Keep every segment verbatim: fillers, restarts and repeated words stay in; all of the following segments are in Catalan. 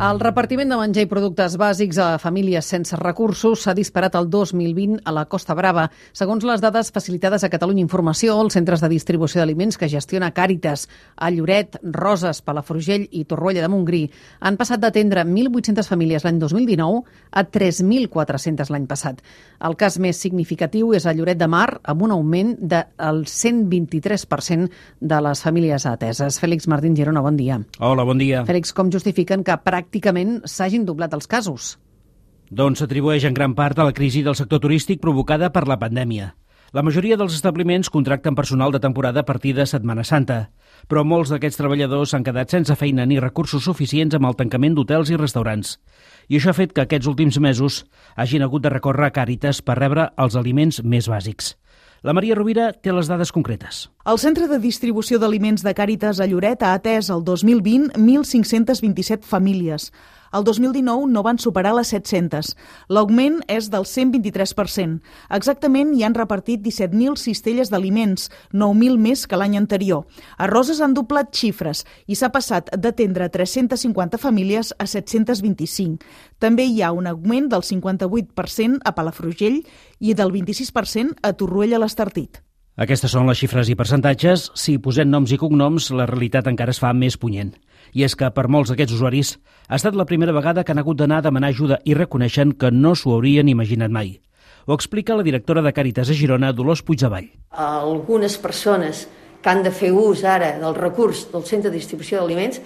El repartiment de menjar i productes bàsics a famílies sense recursos s'ha disparat el dos mil vint a la Costa Brava. Segons les dades facilitades a Catalunya Informació, els centres de distribució d'aliments que gestiona Càritas a Lloret, Roses, Palafrugell i Torroella de Montgrí han passat d'atendre mil vuit-centes famílies l'any dos mil dinou a tres mil quatre-centes l'any passat. El cas més significatiu és a Lloret de Mar, amb un augment del cent vint-i-tres per cent de les famílies ateses. Fèlix Martín Girona, bon dia. Hola, bon dia. Fèlix, com justifiquen que pràcticament pràcticament s'hagin doblat els casos? Doncs s'atribueix en gran part a la crisi del sector turístic provocada per la pandèmia. La majoria dels establiments contracten personal de temporada a partir de Setmana Santa, però molts d'aquests treballadors s'han quedat sense feina ni recursos suficients amb el tancament d'hotels i restaurants. I això ha fet que aquests últims mesos hagin hagut de recórrer a Càritas per rebre els aliments més bàsics. La Maria Rovira té les dades concretes. El Centre de Distribució d'Aliments de Càritas a Lloret ha atès el dos mil vint mil cinc-cents vint-i-set famílies. El dos mil dinou no van superar les set-centes. L'augment és del cent vint-i-tres per cent. Exactament hi han repartit disset mil cistelles d'aliments, nou mil més que l'any anterior. A Roses han doblat xifres i s'ha passat d'atendre tres-centes cinquanta famílies a set-cents vint-i-cinc. També hi ha un augment del cinquanta-vuit per cent a Palafrugell i del vint-i-sis per cent a Torroella l'Estartit. Aquestes són les xifres i percentatges. Si posem noms i cognoms, la realitat encara es fa més punyent. I és que per molts d'aquests usuaris ha estat la primera vegada que han hagut d'anar a demanar ajuda i reconeixen que no s'ho haurien imaginat mai. Ho explica la directora de Càritas a Girona, Dolors Puigdevall. Algunes persones que han de fer ús ara del recurs del centre de distribució d'aliments,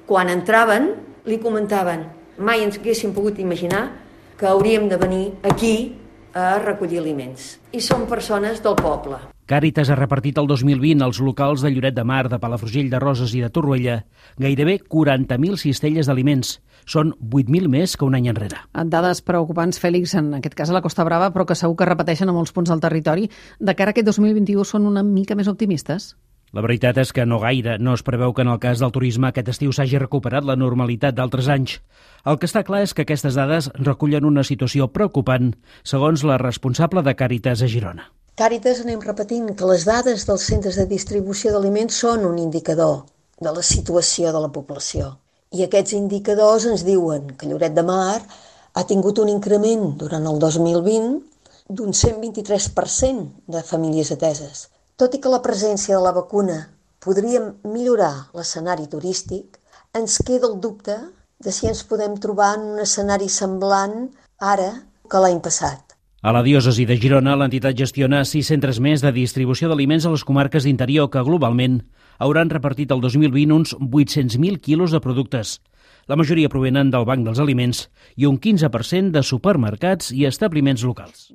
quan entraven li comentaven mai ens haguéssim pogut imaginar que hauríem de venir aquí a recollir aliments. I són persones del poble. Càritas ha repartit el dos mil vint als locals de Lloret de Mar, de Palafrugell, de Roses i de Torroella gairebé quaranta mil cistelles d'aliments. Són vuit mil més que un any enrere. Dades preocupants, Fèlix, en aquest cas a la Costa Brava, però que segur que repeteixen a molts punts del territori. De cara a aquest dos mil vint-i-u són una mica més optimistes? La veritat és que no gaire. No es preveu que en el cas del turisme aquest estiu s'hagi recuperat la normalitat d'altres anys. El que està clar és que aquestes dades recullen una situació preocupant, segons la responsable de Càritas a Girona. Càritas anem repetint que les dades dels centres de distribució d'aliments són un indicador de la situació de la població. I aquests indicadors ens diuen que Lloret de Mar ha tingut un increment durant el dos mil vint d'un cent vint-i-tres per cent de famílies ateses. Tot i que la presència de la vacuna podria millorar l'escenari turístic, ens queda el dubte de si ens podem trobar en un escenari semblant ara que l'any passat. A la diòcesi de Girona, l'entitat gestiona sis centres més de distribució d'aliments a les comarques d'interior que, globalment, hauran repartit el dos mil vint uns vuit-cents mil quilos de productes. La majoria provenen del Banc dels Aliments i un quinze per cent de supermercats i establiments locals.